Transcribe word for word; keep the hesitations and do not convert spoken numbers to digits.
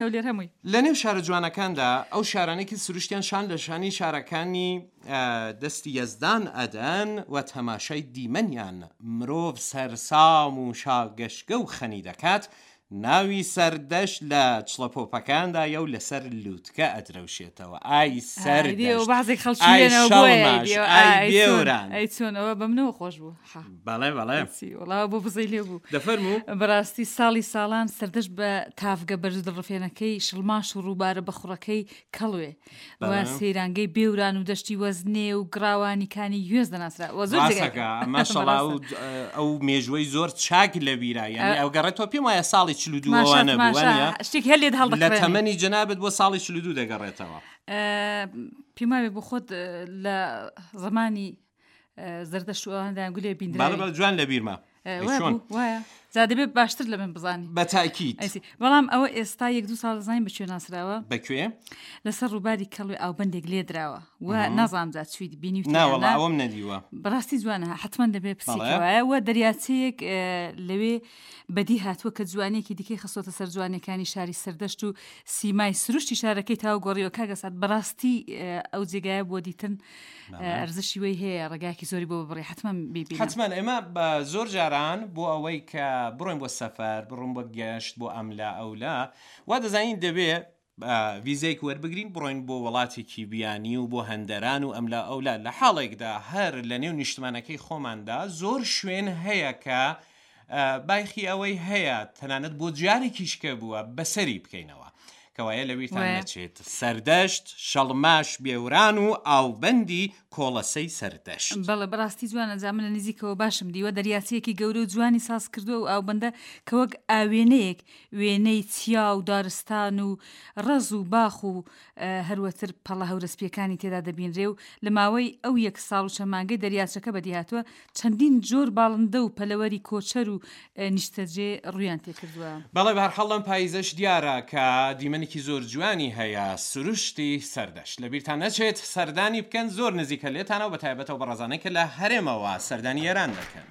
هەولێر هەمووی. لە نێو شارە جوانەکاندا ئەو شارانەی کە سروشتیان شان لە شانی شارەکانی دەستی یەزدان ئەدەن و تەماشای دیمەنیان مرۆڤ سەرسام و شاگەشکە و خەنی دەکات، ناوی سەردەشت لە چڵەپۆپەکاندایە و لەسەر لووتکە ئەدرەوشێتەوە. ئای سەردەشت، بەعزێک خەڵکی ئای لێنەوە بۆیە شەڵماش، ئەیدیەوە. ئای ئای چۆن، بێوران. ئەی چۆن، ئەوە بە منەوە خۆش بوو. حا. بەڵێ بەڵێ. چی، وەڵا بۆ بزەی لێ بوو. دەفەرموو. بەڕاستی ساڵی ساڵان سەردەشت بە تاڤگە بەرز دڵڕفێنەکەی شڵماش و ڕووبارە بەخوڕەکەی کەڵوێ و بەڵێ. سەیرانگەی بێوران و دەشتی وەزنێ و گڕاوانی کانی گوێز دەناسرا. وە زۆر جێگای ڕاستەکە، ماشەڵا بەڕاستە. ئەو، ئەو مێژوەی زۆر چاک لەبیرا، یعنی ئە- ئەو گەڕێتەوە پێم وایە ساڵی چل و دوو تماشا، ئەوانە بوو، تماشا. وانییە؟ شتێکی هەر لێت هەڵدەکڕێنێ. لە تەمەنی جەنابت بۆ ساڵی چل و دوو دەگەڕێتەوە. ئە، پێم وایە بۆ خۆت، ئە، لە زەمانی، ئە، زەردەشت و ئەواندا گولێ بیندراوی. بەڵێ، بەڵێ، جوان لەبیرمە. ئە، ئەی وایە چۆن؟ بوو، وایە. جا دەبێت باشتر لە من بزانی. بە تاکید. ئەیسی. بەڵام ئەوە ئێستا یەک دوو ساڵ دەزانین بە کوێ ناسراوە؟ بە کوێ؟ لەسەر ڕووباری کەڵوێ ئاوبەندێک لێدراوە. و مهم. نازانم جا چویت بینیوتە نا، یان وەڵا، نا. ئەوەم نەدیوە. بەڕاستی جوانە، حتمما دەبێت بەڵێ. پسیکەوایە. و دەریاچەیەک، ئە، لەوێ بەدی هاتووە کە جوانیەکی دیکەی خستۆتە سەر جوانیەکانی شاری سەردەشت و سیمای سروشتی شارەکەی تاو گۆڕیوە. کاک ئەسعد، بەڕاستی، ئە، ئەو جێگایە بۆ دیتن، بەڵێ. ئە، ئەرزشی وەی هەیە، ڕێگایەکی زۆری بۆ ببڕی، حتمما بیبینە. حتمما ئێمە بە زۆر جاران بۆ ئەوەی کە بڕۆین بۆ سەفەر، بڕۆین بۆ گەشت، بۆ ئەملا ئەولا، وا دەزانین دەبێ، ئا، ویزەیەک وەربگرین بڕۆین بۆ وڵاتێکی بیانی و بۆ هەندەران و ئەملا ئەولا. لە حاڵێکدا هەر لە نێو نیشتمانەکەی خۆماندا زۆر شوێن هەیە کە، ئا، بایخی ئەوەی هەیە تەنانەت بۆ جارێکیش کە بووە بەسەری بکەینەوە. کەوایە لەویتان وایە. نەچێت. سەردەشت، شەڵماش، بێوران و ئاوبەندی کۆڵەسەی سەردەشت. بەڵێ، بەڕاستی جوانە. جا من لە نزیکەوە باشم دیوە دەریاچەیەکی گەورە و جوانی ساز کردووە و ئاوبەندە کە وەک ئاوێنەیەک وێنەی چیا و دارستان و ڕەز و باخ و، ئە، هەروەتر پەڵە هەورەسپیەکانی تێدا دەبینرێ و لە ماوەی ئەو یەک ساڵ و چەند مانگەی دەریاچەکە بەدیهاتووە چەندین جۆر باڵندە و پەلەوەری کۆچەر و، ئە، نیشتەجێ ڕوویان تێکردووە. بەڵێ، بەهەرحاڵ لەم پاییزەش دیارە کە دیمەنێکی زۆر جوانی هەیە سروشتی سەردەشت. لەبیرتان نەچێت سەردانی بکەن، زۆر نزیکە لێتانەوە، بە تایبەتەوە بەڕێزانەی کە لە هەرێمەوە سەردانی ئێران دەکەن.